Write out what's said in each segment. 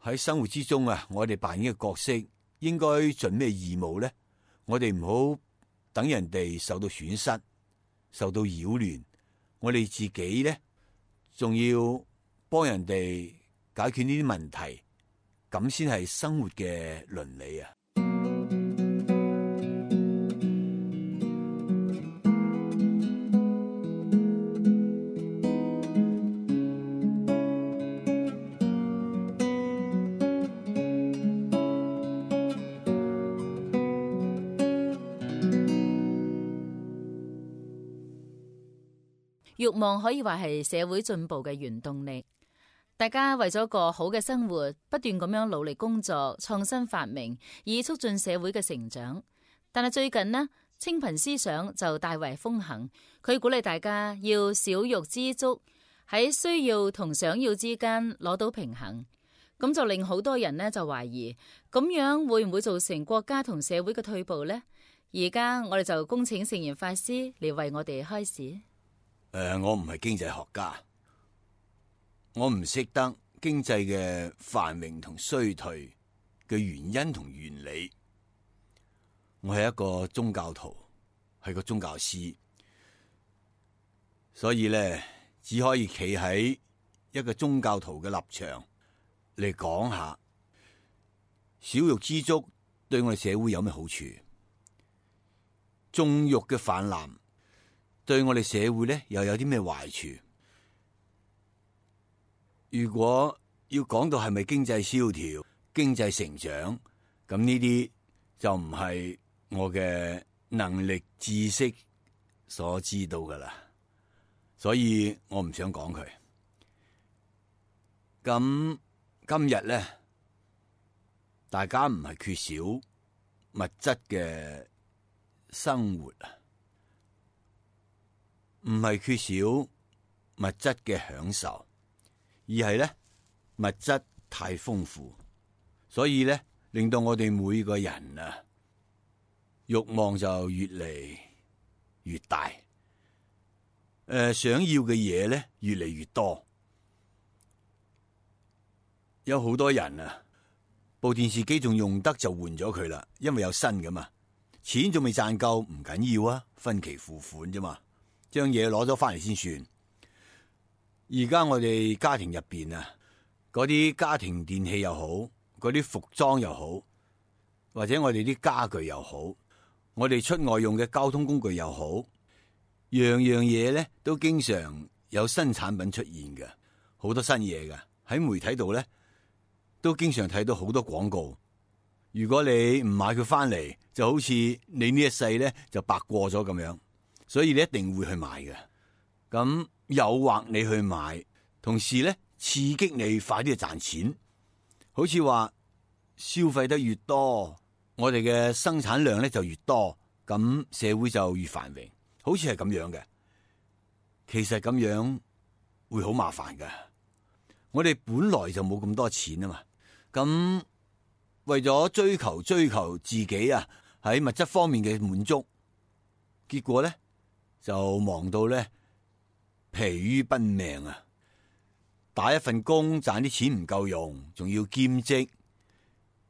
喺生活之中啊，我哋扮演嘅角色應該盡咩義務呢？我哋唔好等人哋受到損失、受到擾亂，我哋自己呢，仲要幫人哋解決呢啲問題，咁先係生活嘅倫理啊！慾望可以話係社會進步嘅原動力，大家為咗個好嘅生活，不斷咁樣努力工作、創新發明，以促進社會嘅成長。但係最近呢，清貧思想就大為風行，佢鼓勵大家要少欲知足，喺需要同想要之間攞到平衡。咁就令好多人呢就懷疑，咁樣會唔會造成國家同社會嘅退步呢？而家我哋就恭請聖嚴法師嚟為我哋開示。我唔係經濟學家，我唔識得經濟嘅繁榮同衰退嘅原因同原理。我係一個宗教徒，係個宗教師，所以咧只可以企喺一個宗教徒嘅立場嚟講下，少欲知足對我哋社會有咩好處？縱欲嘅泛濫對我哋社會咧又有啲咩壞處？如果要講到係咪經濟蕭條、經濟成長，咁呢啲就唔係我嘅能力、知識所知道噶啦，所以我唔想講佢。咁今日咧，大家唔係缺少物質嘅生活啊，唔係缺少物質嘅享受，而係咧物質太豐富，所以咧令到我哋每個人啊慾望就越嚟越大，想要嘅嘢咧越嚟越多。有好多人啊，部電視機仲用得就換咗佢啦，因為有新㗎嘛，錢仲未賺夠唔緊要啊，分期付款啫嘛，將嘢攞咗翻嚟先算。而家我哋家庭入邊啊，嗰啲家庭電器又好，嗰啲服裝又好，或者我哋啲家具又好，我哋出外用嘅交通工具又好，樣樣嘢咧都經常有新產品出現嘅，好多新嘢嘅，喺媒體度咧都經常睇到好多廣告。如果你唔買佢翻嚟，就好似你呢一世咧就白過咗咁樣，所以你一定會去買嘅。咁誘惑你去買，同時咧刺激你快啲去賺錢，好似話消費得越多，我哋嘅生產量咧就越多，咁社會就越繁榮，好似係咁樣嘅。其實咁樣會好麻煩㗎，我哋本來就冇咁多錢啊嘛，咁為咗追求自己啊喺物質方面嘅滿足，結果咧就忙到咧疲於奔命啊！打一份工賺啲錢唔夠用，仲要兼職，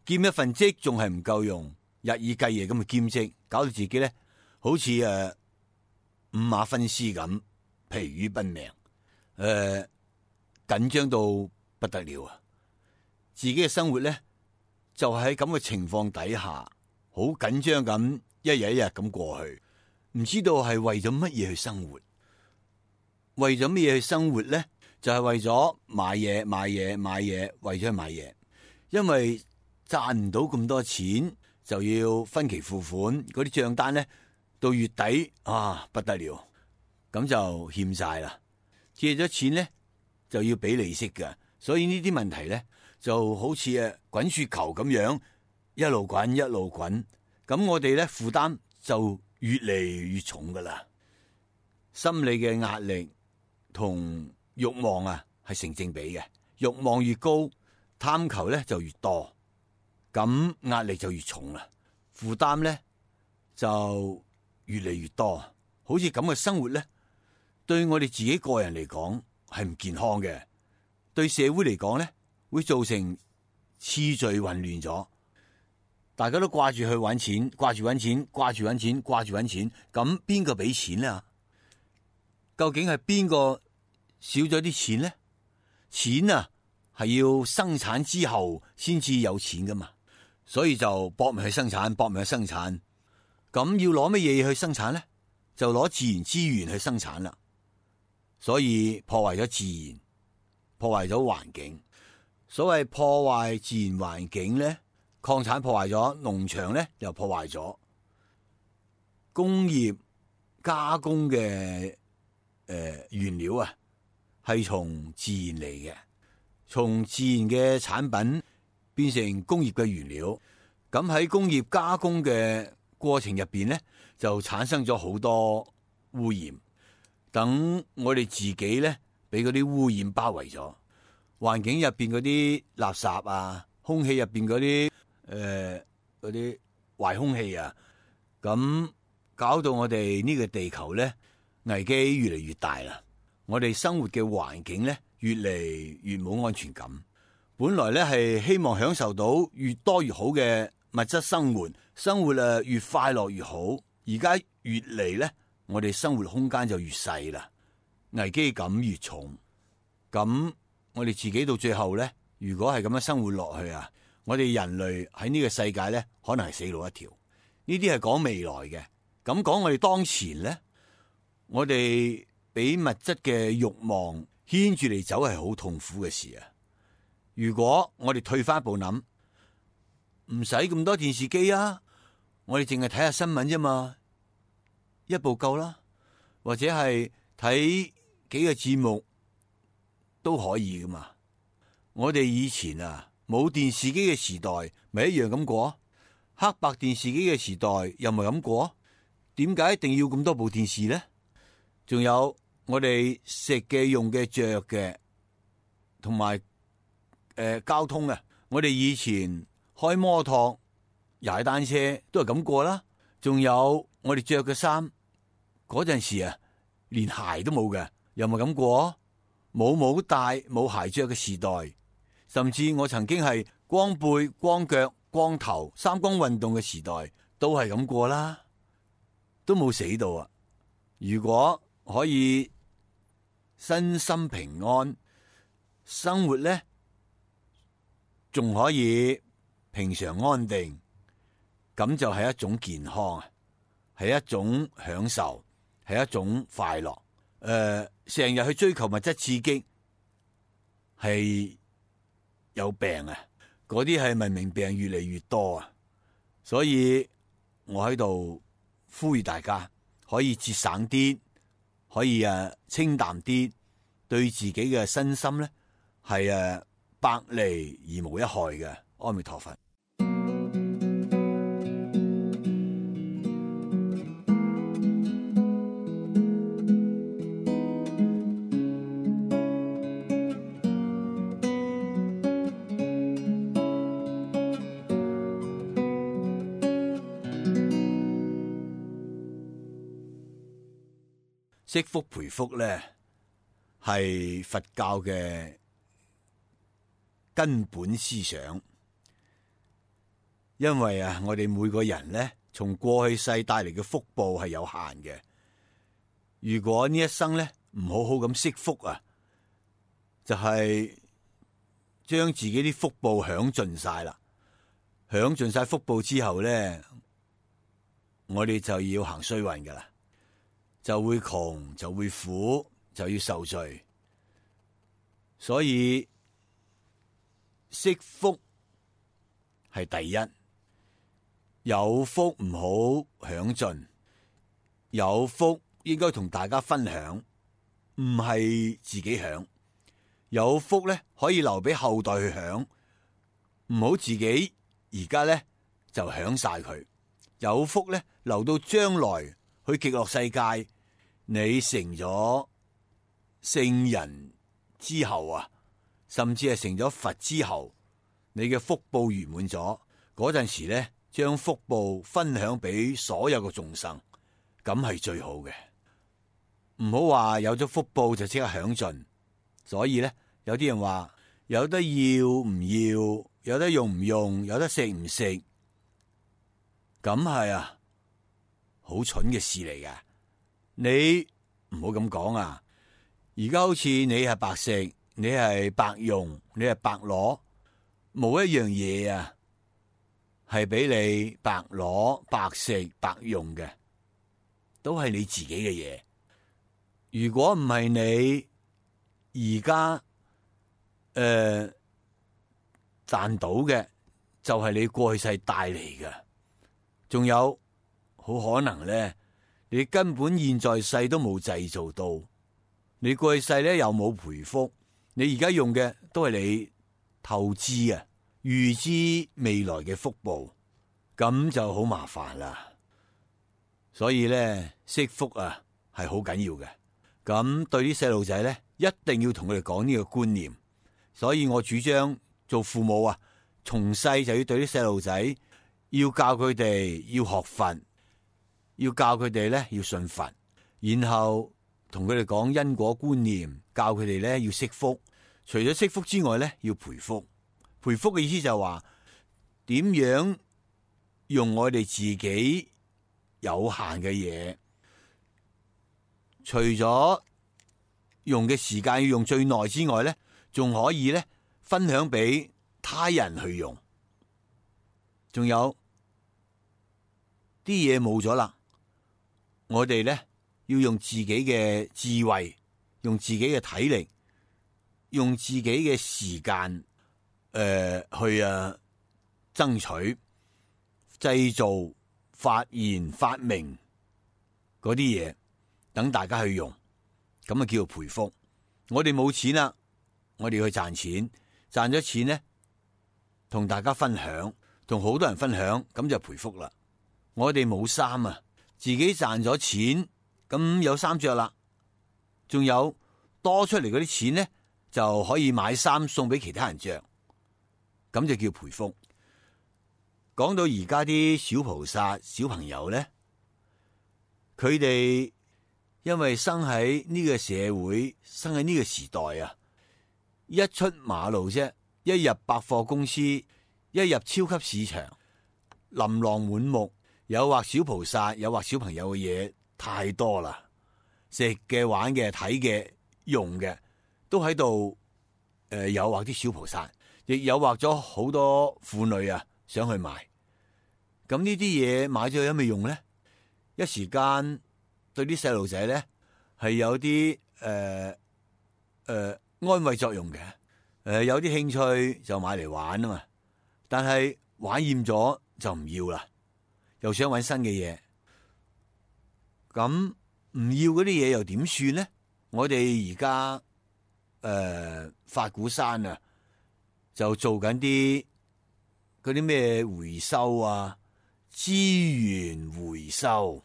兼一份職仲係唔夠用，日以繼夜咁去兼職，搞到自己咧好似五馬分屍咁，疲於奔命，緊張到不得了啊！自己嘅生活咧就喺咁嘅情況底下，好緊張咁，一日一日咁過去，唔知道係為咗乜嘢去生活。為咗咩嘢去生活咧？就係為咗買嘢，為咗去買嘢。因為賺唔到咁多錢，就要分期付款，嗰啲賬單咧到月底啊不得了，咁就欠債啦。借咗錢咧就要俾利息㗎，所以呢啲問題咧就好似滾雪球咁樣，一路滾一路滾。咁我哋咧負擔就越嚟越重噶啦，心理嘅壓力同慾望啊係成正比嘅，慾望越高，貪求咧就越多，咁壓力就越重啦，負擔咧就越嚟越多。好似咁嘅生活咧，對我哋自己個人嚟講係唔健康嘅，對社會嚟講咧會造成次序混亂咗，大家都掛住去揾錢，掛住揾錢，掛住揾錢，掛住揾錢，咁邊個俾錢呢？究竟係邊個少咗啲錢呢？錢啊係要生產之後先至有錢噶嘛，所以就搏命去生產，搏命去生產。咁要攞乜嘢去生產呢？就攞自然資源去生產啦。所以破壞咗自然，破壞咗環境。所謂破壞自然環境呢，礦產破壞咗，農場呢又破壞咗，工業加工嘅原料啊，係從自然嚟嘅，從自然嘅產品變成工業嘅原料。咁喺工業加工嘅過程入邊呢，就產生咗好多污染。等我哋自己呢，俾嗰啲污染包圍咗，環境入邊嗰啲垃圾啊，空氣入邊嗰啲壞空氣啊，咁搞到我哋呢個地球呢，危機越嚟越大啦。我哋生活嘅環境呢，越嚟越冇安全感。本來呢係希望享受到越多越好嘅物質生活，生活越快樂越好。而家越嚟呢，我哋生活空間就越細啦，危機感越重。咁我哋自己到最後呢，如果係咁樣生活落去啊，我哋人類喺呢個世界呢，可能係死路一條。呢啲係講未來嘅。咁講我哋當前呢，我哋俾物質嘅慾望牽住嚟走係好痛苦嘅事啊。如果我哋退翻一步諗，唔使咁多電視機啊，我哋淨係睇下新聞啫嘛，一部夠啦，或者係睇幾個節目都可以噶嘛。我哋以前啊冇電視機嘅時代，咪一樣咁過；黑白電視機嘅時代又咪咁過。點解一定要咁多部電視呢？仲有我哋食嘅、用嘅、着嘅，同埋交通啊！我哋以前開摩托、踩單車都係咁過啦。仲有我哋着嘅衫，嗰陣時啊，連鞋都冇嘅，又咪咁過？冇帽戴、冇鞋着嘅時代，甚至我曾經係光背、光腳、光頭、三光運動嘅時代，都係咁過啦。都冇死到啊！如果可以身心平安，生活呢仲可以平常安定，咁就係一種健康啊，係一種享受，係一種快樂。成日去追求物質刺激，係有病啊！嗰啲係文明病越嚟越多啊！所以我喺度呼籲大家可以節省啲，可以清淡啲，對自己嘅身心咧係百利而無一害嘅。阿彌陀佛。積福培福咧，係佛教嘅根本思想。因為我哋每個人咧，從過去世帶嚟嘅福報係有限嘅。如果呢一生咧唔好好咁積福啊，就係將自己啲福報享盡晒啦。享盡晒福報之後咧，我哋就要行衰運噶啦。就會窮，就會苦，就要受罪。所以惜福係第一，有福唔好享盡，有福應該同大家分享，唔係自己享。有福咧可以留俾後代去享，唔好自己而家咧就享晒佢。有福咧留到將來去極樂世界。你成咗聖人之後啊，甚至係成咗佛之後，你嘅福報圓滿咗，嗰陣時咧，將福報分享俾所有嘅眾生，咁係最好嘅。唔好話有咗福報就即刻享盡。所以咧，有啲人話有得要唔要，有得用唔用，有得食唔食，咁係啊，好蠢嘅事嚟㗎。你唔好咁講啊！而家好似你係白食，你係白用，你係白攞，冇一樣嘢啊，係俾你白攞、白食、白用嘅，都係你自己嘅嘢。如果唔係你而家賺到嘅，就係你過去世帶嚟嘅。仲有好可能咧，你根本現在世都冇製造到，你過去世咧又冇賠福，你而家用嘅都係你透支啊，預知未來嘅福報，咁就好麻煩啦。所以咧，惜福啊係好緊要嘅。咁對啲細路仔咧，一定要同佢哋講呢個觀念。所以我主張做父母啊，從細就要對啲細路仔，要教佢哋要學佛，要教佢哋咧要信佛，然後同佢哋講因果觀念，教佢哋咧要惜福。除咗惜福之外咧，要培福。培福嘅意思就係話點樣用我哋自己有限嘅嘢，除咗用嘅時間要用最耐之外咧，仲可以咧分享俾他人去用。仲有啲嘢冇咗啦，我哋咧要用自己嘅智慧，用自己嘅體力，用自己嘅時間去爭取、製造、發現、發明嗰啲嘢，等大家去用，咁啊叫做培福。我哋冇錢啦，我哋去賺錢，賺咗錢咧，同大家分享，同好多人分享，咁就培福啦。我哋冇衫啊，自己賺咗錢，咁有衫着啦，仲有多出嚟嗰啲錢咧，就可以買衫送俾其他人着，咁就叫培福。講到而家啲小菩薩、小朋友咧，佢哋因為生喺呢個社會，生喺呢個時代啊，一出馬路啫，一入百貨公司，一入超級市場，琳琅滿目，誘惑小菩薩、誘惑小朋友嘅嘢太多啦，食嘅、玩嘅、睇嘅、用嘅，都喺度誘惑啲小菩薩，亦誘惑咗好多婦女啊，想去買。咁呢啲嘢買咗有咩用咧？一時間對啲細路仔咧係有啲安慰作用嘅，有啲興趣就買嚟玩啊嘛。但係玩厭咗就唔要啦，又想搵新嘅嘢。咁唔要嗰啲嘢又點算咧？我哋而家法鼓山啊，就做緊啲嗰啲咩回收啊，資源回收，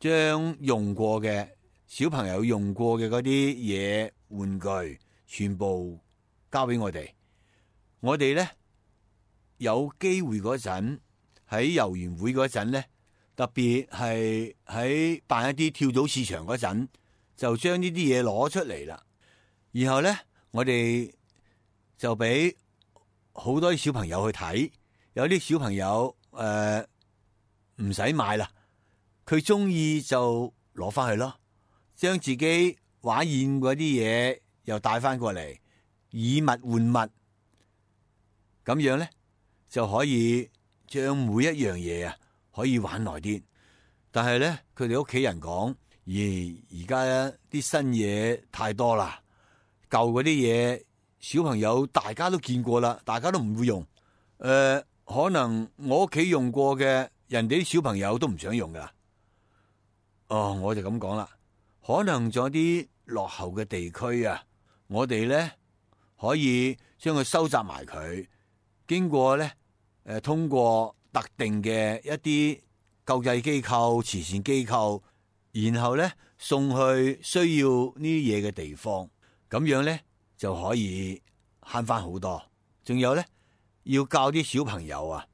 將用過嘅小朋友用過嘅嗰啲嘢玩具，全部交俾我哋。我哋咧有機會嗰陣喺遊園會嗰陣咧，特別係喺辦一啲跳蚤市場嗰陣，就將呢啲嘢攞出嚟啦。然後咧，我哋就俾好多啲小朋友去睇，有啲小朋友唔使買啦，佢中意就攞翻去咯，將自己玩厭嗰啲嘢又帶翻過嚟，以物換物，咁樣咧就可以將每一樣嘢啊可以玩耐啲。但係咧，佢哋屋企人講，而家啲新嘢太多啦，舊嗰啲嘢小朋友大家都見過啦，大家都唔會用。可能我屋企用過嘅，人哋啲小朋友都唔想用噶啦。我就咁講啦。可能仲有啲落後嘅地區啊，我哋咧可以將佢收集埋佢，經過咧通過特定嘅一啲救濟機構、慈善機構，然後咧送去需要呢啲嘢嘅地方，咁樣咧就可以慳翻好多。仲有咧，要教啲小朋友啊，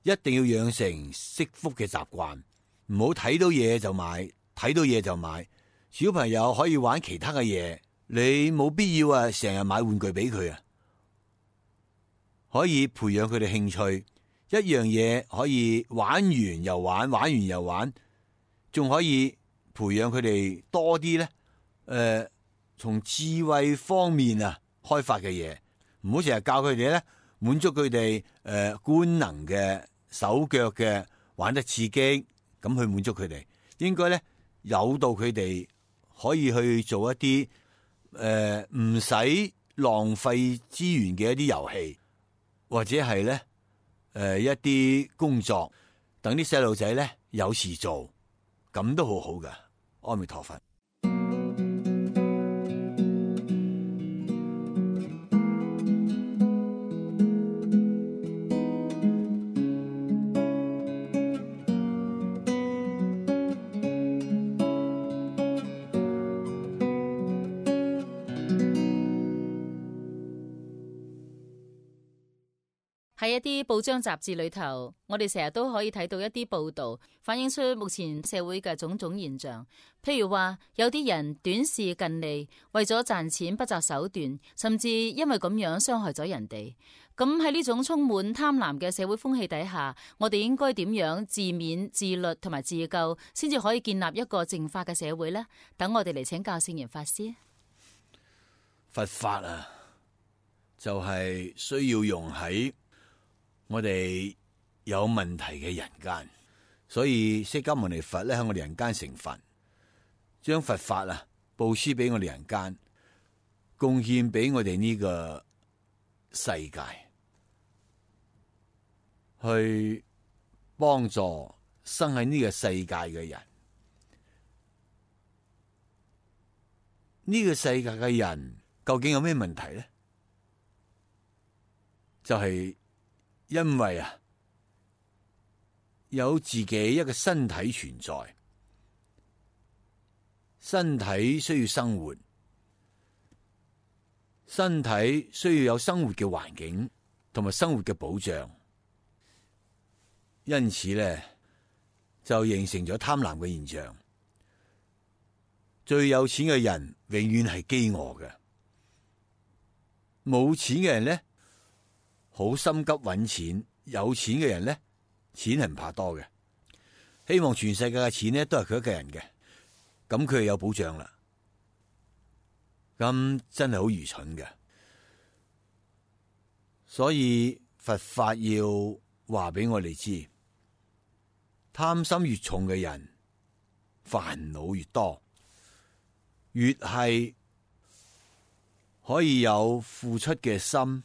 一定要養成惜福嘅習慣，唔好睇到嘢就買，睇到嘢就買。小朋友可以玩其他嘅嘢，你冇必要成日買玩具俾佢啊。可以培養佢哋興趣，一樣嘢可以玩完又玩，玩完又玩，仲可以培養佢哋多啲咧，從智慧方面啊開發嘅嘢，唔好成日教佢哋咧滿足佢哋官能嘅手腳嘅玩得刺激，咁去滿足佢哋。應該咧誘導佢哋可以去做一啲唔使浪費資源嘅一啲遊戲，或者係咧一啲工作，等啲細路仔咧有事做，咁都好好噶。阿彌陀佛。喺一啲報章雜誌裏頭，我哋成日都可以睇到一啲報道，反映出目前社會嘅種種現象。譬如話，有啲人短視近利，為咗賺錢不擇手段，甚至因為咁樣傷害咗人哋。咁喺呢種充滿貪婪嘅社會風氣底下，我哋應該點樣自勉、自律同埋自救，先至可以建立一個淨化嘅社會呢？等我哋嚟請教聖嚴法師。佛法啊，就係需要用喺我哋有問題嘅人間，所以釋迦牟尼佛咧喺我哋人間成佛，將佛法啊布施俾我哋人間，貢獻俾我哋呢個世界，去幫助生喺呢個世界嘅人。呢個世界嘅人究竟有咩問題咧？就係因為啊，有自己一個身體存在，身體需要生活，身體需要有生活嘅環境同埋生活嘅保障，因此咧就形成咗貪婪嘅現象。最有錢嘅人永遠係飢餓嘅，冇錢嘅人咧好心急揾錢，有錢嘅人咧，錢係唔怕多嘅，希望全世界嘅錢咧都係佢一個人嘅，咁佢就有保障啦。咁真係好愚蠢嘅，所以佛法要話俾我哋知，貪心越重嘅人，煩惱越多，越係可以有付出嘅心，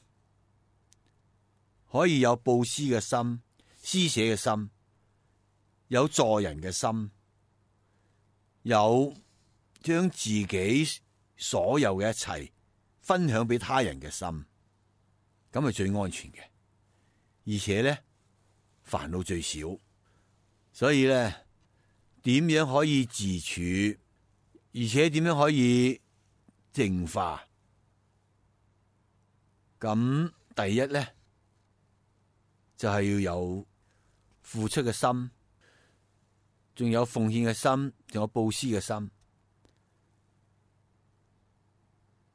可以有布施嘅心、施捨嘅心，有助人嘅心，有將自己所有嘅一切分享俾他人嘅心，咁係最安全嘅，而且咧煩惱最少。所以咧，點樣可以自處，而且點樣可以淨化？咁第一咧，就係要有付出嘅心，仲有奉獻嘅心，仲有布施嘅心。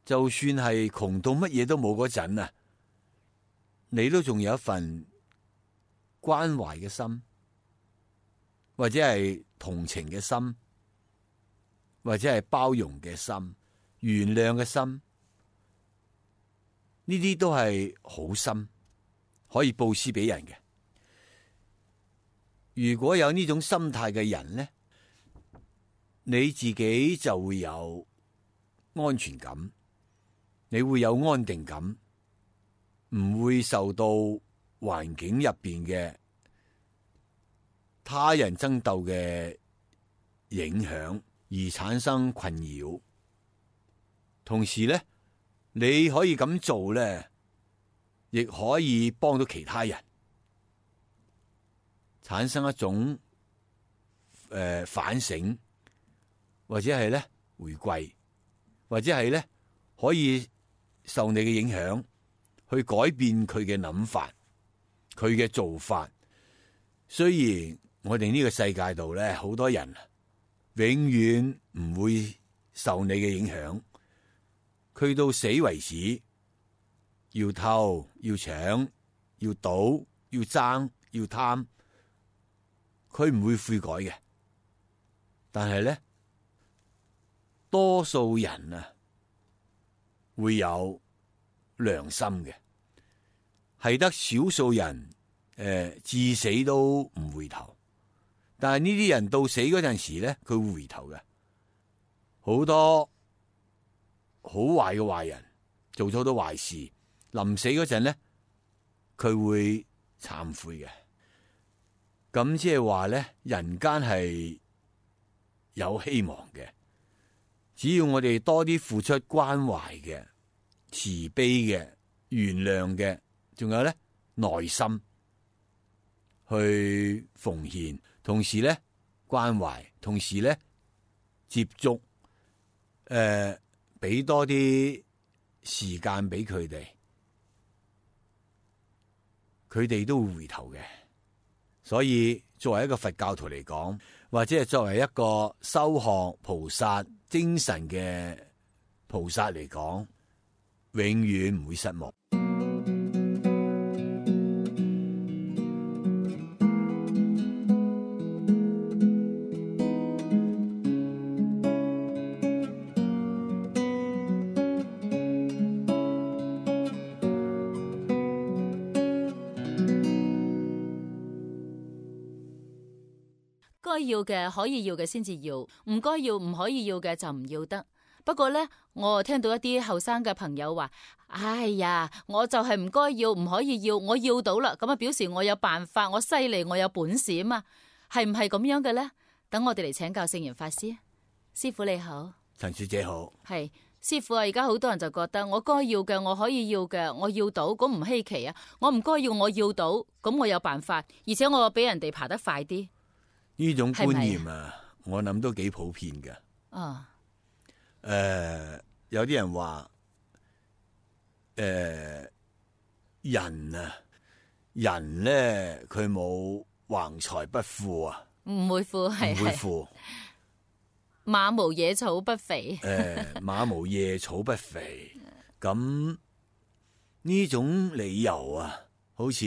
就算係窮到乜嘢都冇嗰陣啊，你都仲有一份關懷嘅心，或者係同情嘅心，或者係包容嘅心、原諒嘅心，呢啲都係好心，可以布施俾人嘅。如果有呢種心態嘅人咧，你自己就會有安全感，你會有安定感，唔會受到環境入邊嘅他人爭鬥嘅影響而產生困擾。同時咧，你可以咁做咧，亦可以幫到其他人，產生一種反省，或者係咧回歸，或者係咧可以受你嘅影響，去改變佢嘅諗法，佢嘅做法。雖然我哋呢個世界度咧，好多人永遠唔會受你嘅影響，佢到死為止，要偷要搶要賭、要爭、要貪，佢唔會悔改嘅。但係咧，多數人啊會有良心嘅，係得少數人至死都唔回頭。但係呢啲人到死嗰陣時咧，佢會回頭嘅。好多好壞嘅壞人做咗好多壞事，臨死嗰陣咧，佢會懺悔嘅。咁即係話咧，人間係有希望嘅，只要我哋多啲付出關懷嘅、慈悲嘅、原諒嘅，仲有咧耐心去奉獻，同時咧關懷，同時咧接觸，俾多啲時間俾佢哋，佢哋都會回頭嘅。所以作為一個佛教徒嚟講，或者係作為一個修學菩薩精神嘅菩薩嚟講，永遠唔會失望。該要嘅可以要嘅先至要，唔該要唔可以要嘅就唔要得。不過呢，我聽到一啲後生嘅朋友話：哎呀，我就係唔該要唔可以要，我要到啦，咁啊表示我有辦法，我犀利，我有本事啊嘛，係唔係咁樣嘅呢？等我哋嚟請教聖嚴法師。師父你好。陳小姐好。係師父啊，而家好多人就覺得我該要嘅我可以要嘅，我要到咁唔稀奇啊。我唔該要我要到，咁我有辦法，而且我比人哋爬得快啲。呢種觀念啊，我諗都幾普遍嘅。哦，有啲人話，人啊，人咧佢冇橫財不富啊，唔會富，係唔會富。馬無野草不肥。馬無野草不肥。咁呢種理由啊，好似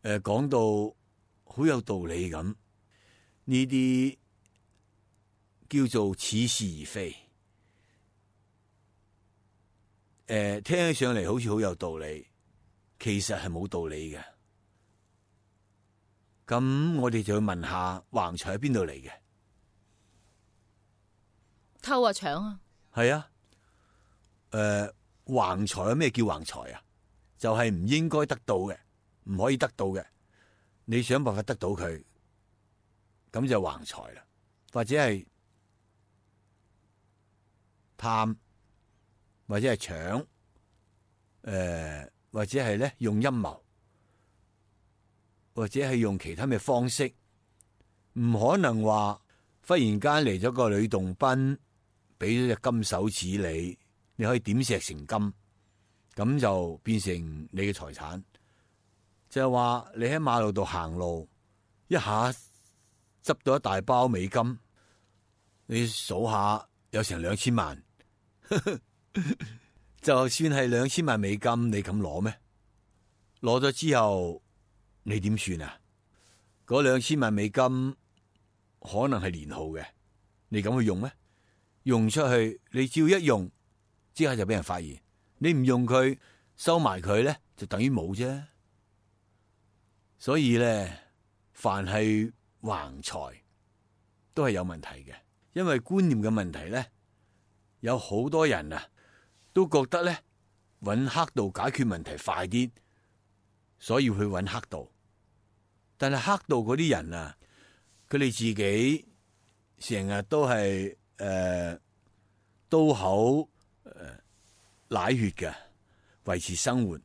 講到好有道理咁。呢啲叫做似是而非，聽起上嚟好似好有道理，其實係冇道理嘅。咁我哋就要問下橫財喺邊度嚟嘅？偷啊搶啊？係啊，橫財咩叫橫財啊？就係唔應該得到嘅，唔可以得到嘅，你想辦法得到佢。咁就橫財啦，或者係貪，或者係搶，或者係咧用陰謀，或者係用其他嘅方式，唔可能話忽然間嚟咗個呂洞賓，俾咗隻金手指你可以點石成金，咁就變成你嘅財產。就係話你喺馬路度行路，一下執到一大包美金，你數下有成2000萬，就算係2000萬美金，你敢攞咩？攞咗之後你點算啊？嗰2000萬美金可能係年耗嘅，你敢去用咩？用出去，你只要一用，即刻就俾人發現。你唔用佢，收埋佢咧，就等於冇啫。所以咧，凡係橫財都係有問題嘅，因為觀念嘅問題咧，有好多人啊都覺得咧揾黑道解決問題快啲，所以去揾黑道。但係黑道嗰啲人啊，佢哋自己成日都係刀口舐血嘅維持生活，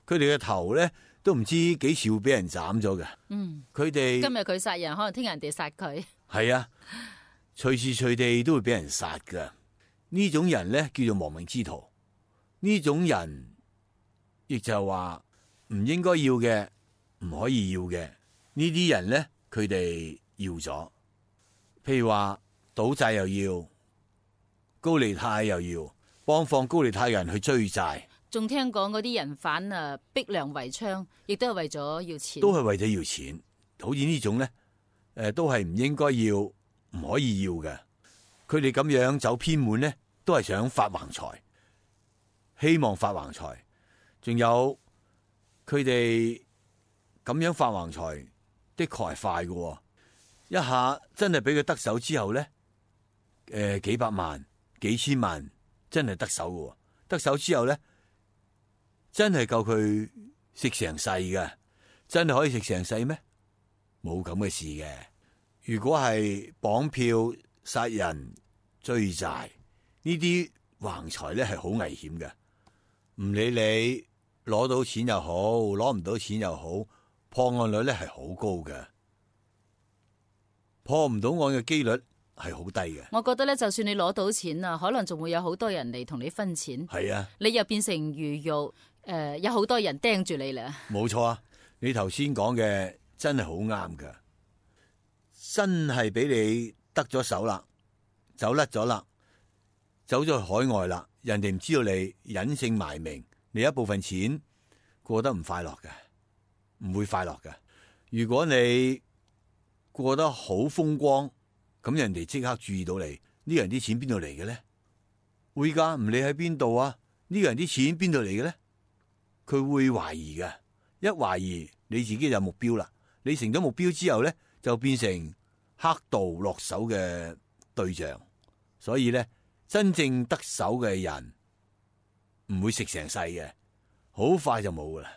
佢哋嘅頭咧都唔知幾時會俾人斬咗嘅。佢哋今日佢殺人，可能聽日人哋殺佢。係啊，隨時隨地都會俾人殺㗎。呢種人咧叫做亡命之徒。呢種人亦就係話唔應該要嘅，唔可以要嘅。呢啲人咧，佢哋要咗。譬如話賭債又要，高利貸又要，幫放高利貸嘅人去追債。仲聽講嗰啲人犯啊，逼良為娼，亦都係為咗要錢。都係為咗要錢。好似呢種咧，都係唔應該要，唔可以要嘅。佢哋咁樣走偏門咧，都係想發橫財，希望發橫財。仲有佢哋咁樣發橫財，的確係快嘅。一下真係俾佢得手之後咧，幾百萬、幾千萬真係得手嘅。得手之後咧，真係夠佢食成世嘅，真係可以食成世咩？冇咁嘅事嘅。如果係綁票、殺人、追債呢啲橫財咧，係好危險嘅。唔理你攞到錢又好，攞唔到錢又好，破案率咧係好高嘅。破唔到案嘅幾率係好低嘅。我覺得咧，就算你攞到錢啊，可能仲會有好多人嚟同你分錢。係啊，你又變成魚肉，有好多人盯住你啦。冇錯啊！你頭先講嘅真係好啱噶，真係俾你得咗手啦，走甩咗啦，走咗去海外啦，人哋唔知道你隱姓埋名，你一部分錢過得唔快樂嘅，唔會快樂嘅。如果你過得好風光，咁人哋即刻注意到你，呢個人啲錢邊度嚟嘅咧？會噶，唔理喺邊度啊，呢個人啲錢邊度嚟嘅咧？佢會懷疑嘅，一懷疑你自己就有目標啦。你成咗目標之後咧，就變成黑道落手嘅對象。所以咧，真正得手嘅人唔會食成世嘅，好快就冇噶啦。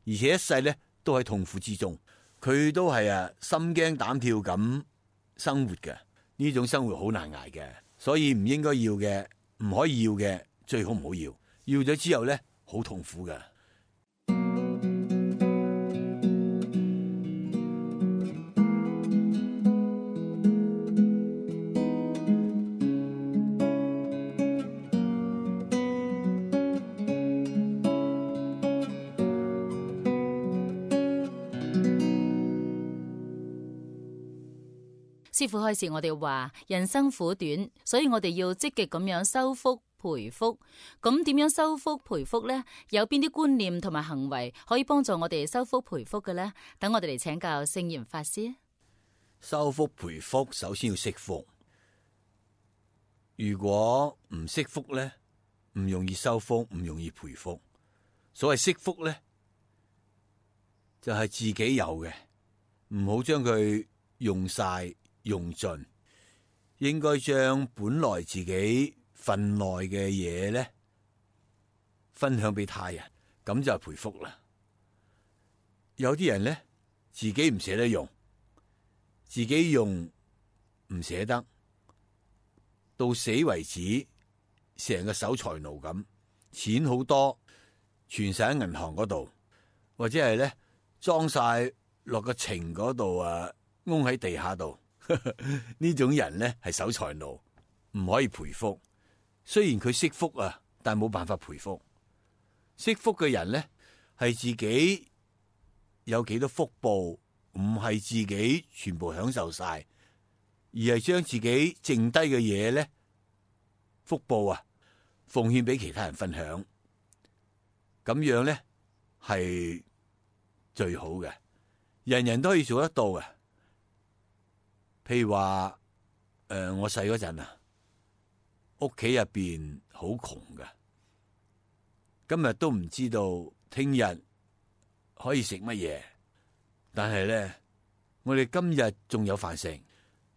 而且一世咧都喺痛苦之中。佢都係心驚膽跳咁生活嘅，呢種生活好難捱嘅，所以唔應該要嘅，唔可以要嘅，最好唔好要。要咗之後咧，好痛苦嘅。師父開示我哋話，人生苦短，所以我哋要積極咁樣修福培福。咁點樣修福培福呢？有邊啲觀念同埋行為可以幫助我哋修福培福嘅呢？等我哋嚟請教聖嚴法師。修福培福首先要惜福，如果唔惜福咧，唔容易修福，唔容易培福。所謂惜福咧，就係自己有嘅，唔好將佢用晒用盡，應該將本來自己份內嘅嘢咧分享俾他人，咁就係培福啦。有啲人咧自己唔捨得用，自己用唔捨得，到死為止，成個守財奴咁，錢好多，存晒喺銀行嗰度，或者係咧裝晒落個情嗰度窿喺地下度。呢種人咧係守財奴，唔可以培福。雖然佢惜福啊，但係冇辦法培福。惜福嘅人咧係自己有幾多福報，唔係自己全部享受晒，而係將自己剩低嘅嘢咧福報奉獻俾其他人分享。咁樣咧係最好嘅，人人都可以做得到嘅。譬如話我細嗰陣屋企入邊好窮嘅，今日都唔知道聽日可以食乜嘢。但係咧，我哋今日仲有飯食，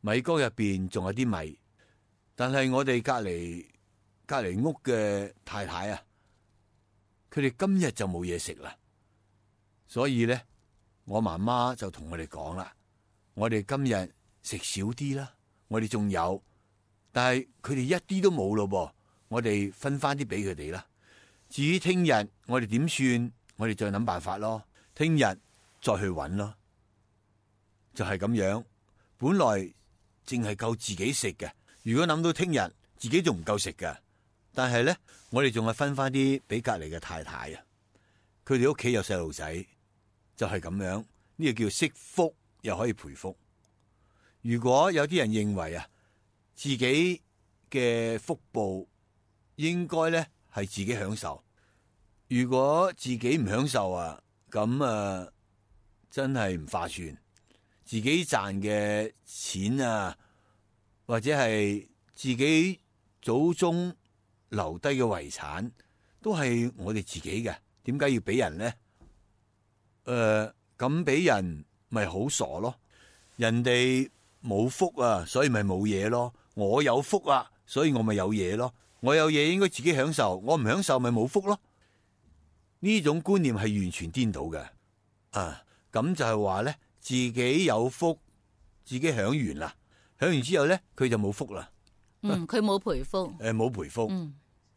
米缸入邊仲有啲米。但係我哋隔籬屋嘅太太佢哋今日就冇嘢食啦。所以咧，我媽媽就同我哋講啦，我哋今日食少啲啦，我哋仲有，但係佢哋一啲都冇咯噃，我哋分翻啲俾佢哋啦。至於聽日我哋點算，我哋再諗辦法咯。聽日再去揾咯，就係咁樣。本來淨係夠自己食嘅，如果諗到聽日自己仲唔夠食嘅，但係咧我哋仲係分翻啲俾隔籬嘅太太佢哋屋企有細路仔，就係咁樣。呢個叫惜福，又可以培福。如果有啲人認為自己嘅福報應該咧係自己享受，如果自己唔享受啊，咁真係唔划算。自己賺嘅錢啊，或者係自己祖宗留低嘅遺產，都係我哋自己嘅，點解要俾人呢？咁俾人咪好傻咯？人哋冇福啊，所以咪冇嘢咯。我有福啊，所以我咪有嘢咯。我有嘢應該自己享受，我唔享受咪冇福咯。呢種觀念係完全顛倒嘅。咁就係話咧，自己有福，自己享完啦，享完之後咧，佢就冇福啦。佢冇賠福。冇賠福。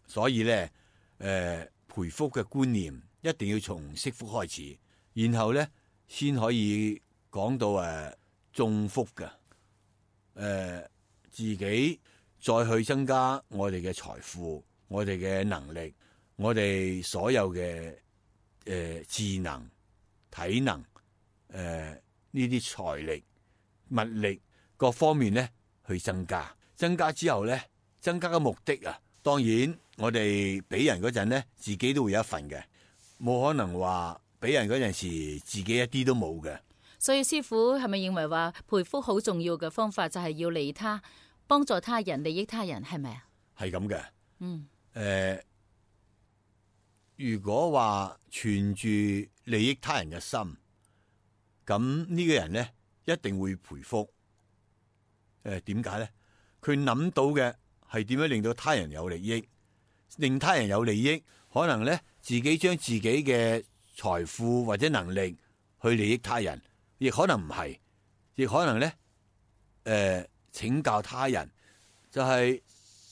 所以咧，賠福嘅觀念一定要從惜福開始，然後咧先可以講到種福嘅。自己再去增加我哋嘅財富，我哋嘅能力，我哋所有嘅智能、體能，呢啲財力、物力各方面咧去增加。增加之後咧，增加嘅目的啊，當然我哋俾人嗰陣咧，自己都會有一份嘅，冇可能話俾人嗰陣時自己一啲都冇嘅。所以師父係咪認為話賠福好重要嘅方法就係要利他，幫助他人，利益他人，係咪啊？係咁嘅。如果話存住利益他人嘅心，咁呢個人咧一定會賠福。點解咧？佢諗到嘅係點樣令到他人有利益，令他人有利益，可能咧自己將自己嘅財富或者能力去利益他人，亦可能唔係，亦可能咧請教他人，就係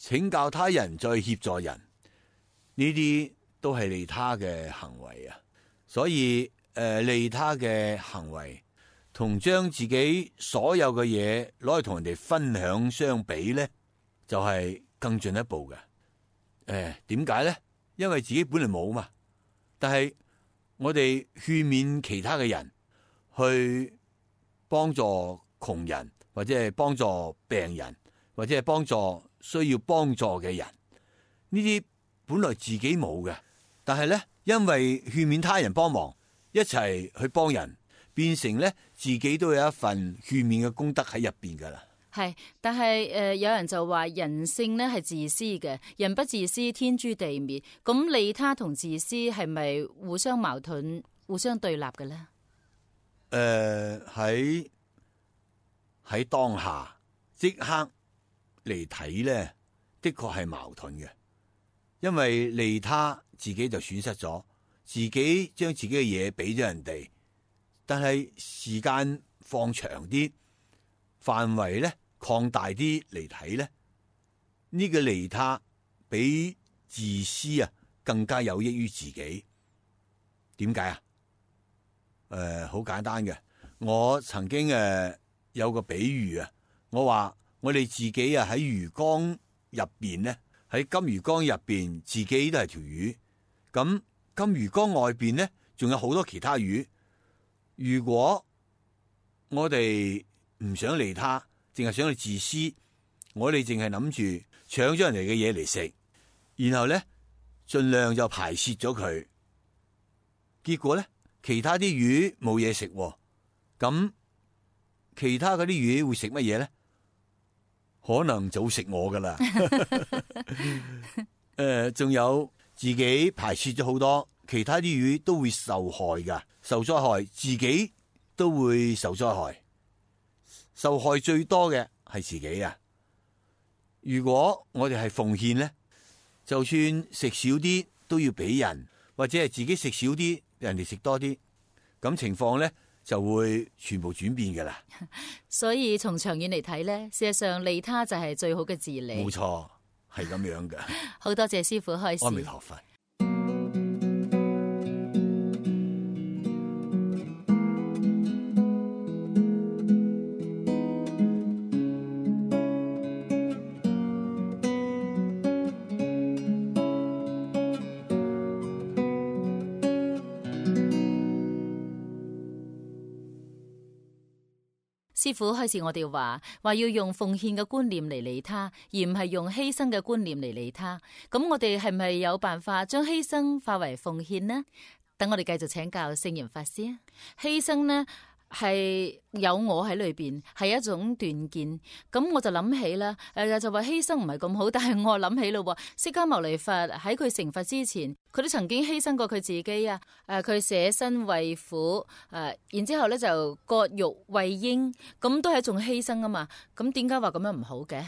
請教他人再協助人，呢啲都係利他嘅行為啊。所以利他嘅行為同將自己所有嘅嘢攞去同人哋分享相比咧，就係更進一步嘅。點解咧？因為自己本來冇嘛，但係我哋勸勉其他嘅人去幫助窮人，或者係幫助病人，或者係幫助需要幫助嘅人，呢啲本來自己冇嘅，但係咧因為勸勉他人幫忙，一齊去幫人，變成咧自己都有一份勸勉嘅功德喺入邊噶啦。係，但係有人就話人性咧係自私嘅，人不自私天誅地滅。咁利他同自私係咪互相矛盾、互相對立嘅咧？喺當下即刻嚟睇咧，的確係矛盾嘅。因為利他自己就損失咗，自己將自己嘅嘢俾咗人哋，但係時間放長啲，範圍咧擴大啲嚟睇咧，呢個利他比自私啊更加有益於自己。點解啊？好簡單嘅，我曾經有個比喻啊，我話我哋自己啊喺魚缸入邊咧，喺金魚缸入邊自己都係條魚，咁金魚缸外邊咧仲有好多其他魚。如果我哋唔想利他，淨係想去自私，我哋淨係諗住搶咗人哋嘅嘢嚟食，然後咧盡量就排泄咗佢，結果咧其他啲魚冇嘢食，咁其他嗰啲魚會食乜嘢咧？可能就食我噶啦。仲有自己排泄咗好多，其他啲魚都會受害噶，受災害，自己都會受災害。受害最多嘅係自己啊！如果我哋係奉獻咧，就算食少啲都要俾人，或者係自己食少啲，人哋食多啲，咁情況咧就會全部轉變噶啦。所以從長遠嚟睇咧，事實上利他就係最好嘅治理。冇錯，係咁樣嘅。好多謝師父開示。阿彌陀佛。師父開始我哋話要用奉獻嘅觀念嚟利他，而唔係用犧牲嘅觀念嚟利他。咁我哋係咪有辦法將犧牲化為奉獻呢？等我哋繼續請教聖嚴法師啊。犧牲呢係有我喺裏邊，係一種斷見。咁我就諗起啦，就話犧牲唔係咁好，但係我諗起咯，釋迦牟尼佛喺佢成佛之前，佢都曾經犧牲過佢自己啊。佢捨身餵虎，然之後咧就割肉餵鷹，咁都係一種犧牲啊嘛。咁點解話咁樣唔好嘅？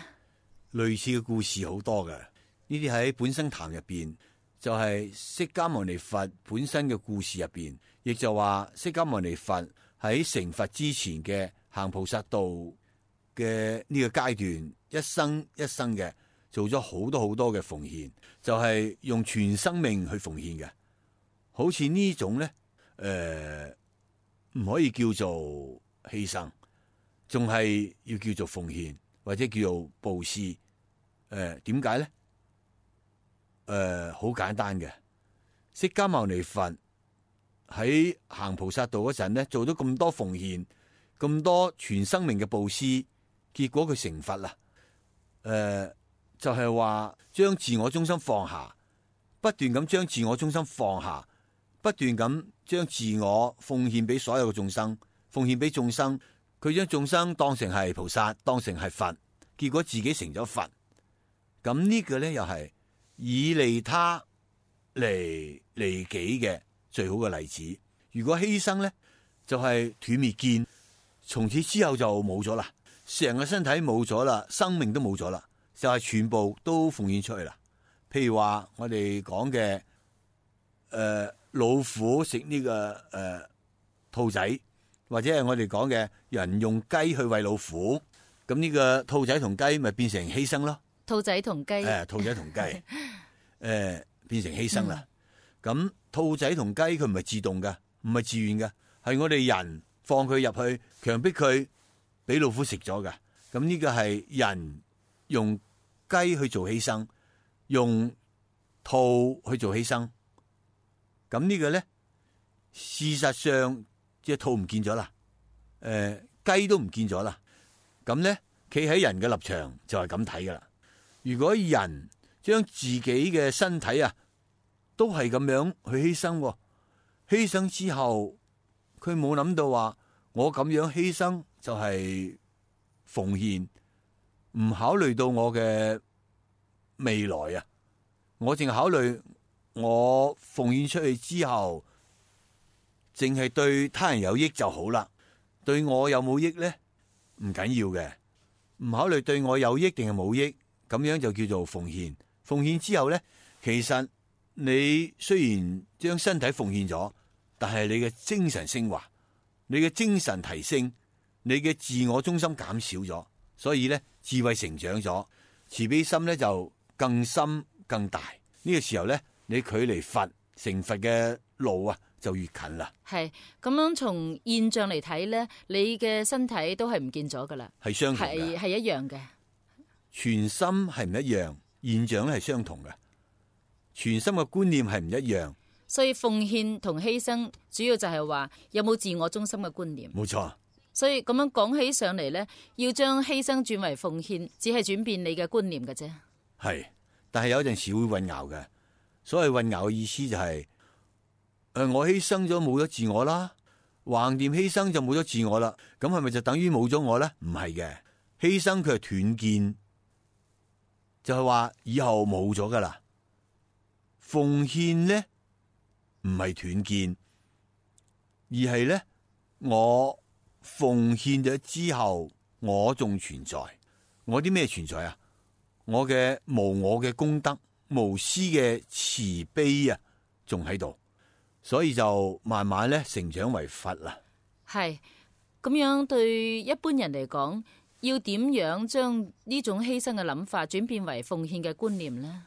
類似嘅故事好多嘅，呢啲喺本生談入邊，就係釋迦牟尼佛本身嘅故事入邊，亦就話釋迦牟尼佛喺成佛之前嘅行菩薩道嘅呢個階段，一生一生嘅做咗好多嘅奉獻，就係用全生命去奉獻嘅。好似呢種咧，唔可以叫做犧牲，仲係要叫做奉獻或者叫做布施。點解咧？好簡單嘅，釋迦牟尼佛喺行菩薩道嗰陣咧，做咗咁多奉獻，咁多全生命嘅布施，結果佢成佛啦。就係話將自我中心放下，不斷咁將自我中心放下，不斷咁將自我奉獻俾所有嘅眾生，奉獻俾眾生。佢將眾生當成係菩薩，當成係佛，結果自己成咗佛。咁呢個咧又係以利他嚟利己嘅最好嘅例子。如果犧牲咧，就係斷滅見，從此之後就冇咗啦，成個身體冇咗啦，生命都冇咗啦，就係全部都奉獻出去啦。譬如話我哋講嘅老虎食呢個兔仔，或者係我哋講嘅人用雞去餵老虎，咁呢個兔仔同雞咪變成犧牲咯。兔仔同雞，兔仔同雞，變成犧牲啦。咁兔仔同雞佢唔係自動嘅，唔係自願嘅，係我哋人放佢入去，強迫佢俾老虎食咗嘅。咁呢個係人用雞去做犧牲，用兔去做犧牲。咁呢個咧，事實上隻兔唔見咗啦，雞都唔見咗啦。咁咧，企喺人嘅立場就係咁睇噶啦。如果人將自己嘅身體都係咁樣去犧牲，犧牲之後佢冇諗到話我咁樣犧牲就係奉獻，唔考慮到我嘅未來啊，我淨係考慮我奉獻出去之後淨係對他人有益就好啦，對我有冇益咧唔緊要嘅，唔考慮對我有益定係冇益，咁樣就叫做奉獻。奉獻之後咧，其實你雖然將身體奉獻咗，但係你嘅精神升華，你嘅精神提升，你嘅自我中心減少咗，所以咧智慧成長咗，慈悲心咧就更深更大。呢個時候咧，你距離佛成佛嘅路就越近啦。係咁樣，從現象嚟睇咧，你嘅身體都係唔見咗噶啦，係相同嘅，係一樣嘅。全心係唔一樣，現象咧係相同嘅。全心嘅觀念係唔一樣，所以奉獻同犧牲主要就係話有冇自我中心嘅觀念。冇錯。所以咁樣講起上嚟咧，要將犧牲轉為奉獻，只係轉變你嘅觀念嘅啫。係，但係有陣時會混淆嘅。所謂混淆嘅意思就係，我犧牲咗冇咗自我啦，橫掂犧牲就冇咗自我啦，咁係咪就等於冇咗我咧？唔係嘅，犧牲佢係斷見，就係話以後冇咗噶啦。奉獻咧唔係斷見，而係咧我奉獻咗之後，我仲存在。我啲咩存在啊？我嘅無我嘅功德、無私嘅慈悲仲喺度，所以就慢慢咧成長為佛啦。係咁樣，對一般人嚟講，要點樣將呢種犧牲嘅諗法轉變為奉獻嘅觀念呢？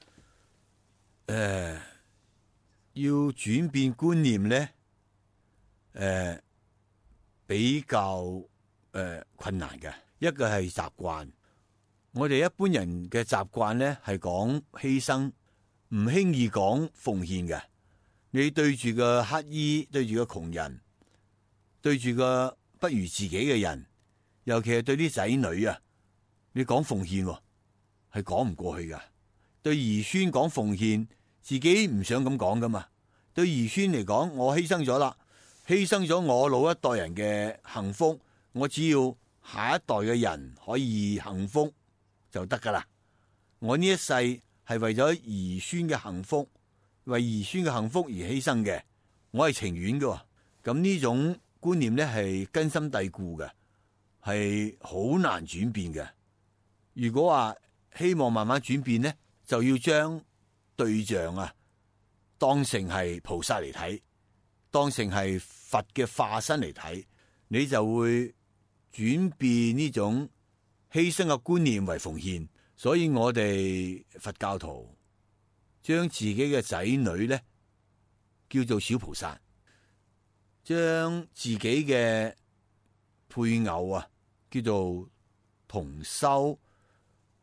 要轉變觀念咧，比較困難嘅。一個係習慣，我哋一般人嘅習慣咧係講犧牲，唔輕易講奉獻嘅。你對住個乞衣，對住個窮人，對住個不如自己嘅人，尤其係對啲仔女啊，你講奉獻係講唔過去噶。對兒孫講奉獻，自己唔想咁講噶嘛。對兒孫嚟講，我犧牲咗啦，犧牲咗我老一代人嘅幸福，我只要下一代嘅人可以幸福就得噶啦。我呢一世係為咗兒孫嘅幸福，為兒孫嘅幸福而犧牲嘅，我係情願嘅。咁呢種觀念咧係根深蒂固嘅，係好難轉變嘅。如果話希望慢慢轉變咧，就要將對象啊當成係菩薩嚟睇，當成係佛嘅化身嚟睇，你就會轉變呢種犧牲嘅觀念為奉獻。所以我哋佛教徒將自己嘅仔女咧叫做小菩薩，將自己嘅配偶啊叫做同修，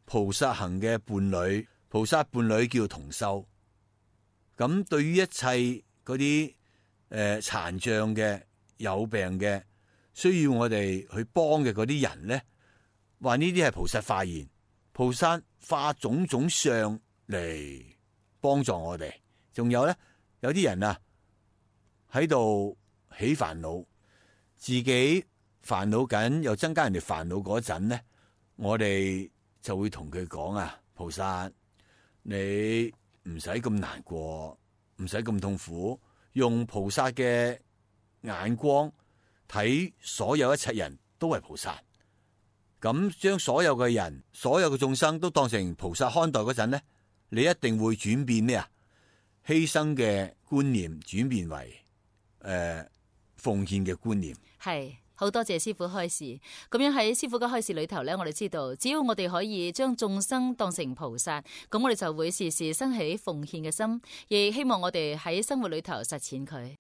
菩薩行嘅伴侶，菩薩伴侶叫做同修。咁對於一切嗰啲殘障嘅、有病嘅、需要我哋去幫嘅嗰啲人咧，話呢啲係菩薩化現，菩薩化種種相嚟幫助我哋。仲有咧，有啲人啊喺度起煩惱，自己煩惱緊又增加人哋煩惱嗰陣咧，我哋就會同佢講啊，菩薩你唔使咁難過，唔使咁痛苦，用菩薩嘅眼光睇所有一切人都係菩薩，咁將所有嘅人、所有嘅眾生都當成菩薩看待嗰陣咧，你一定會轉變咩啊？犧牲嘅觀念轉變為奉獻嘅觀念。係。好多謝師父開示，咁樣喺師父嘅開示裏頭呢，我哋知道只要我哋可以將眾生當成菩薩，咁我哋就會時時生起奉獻嘅心，亦希望我哋喺生活裏頭實踐佢。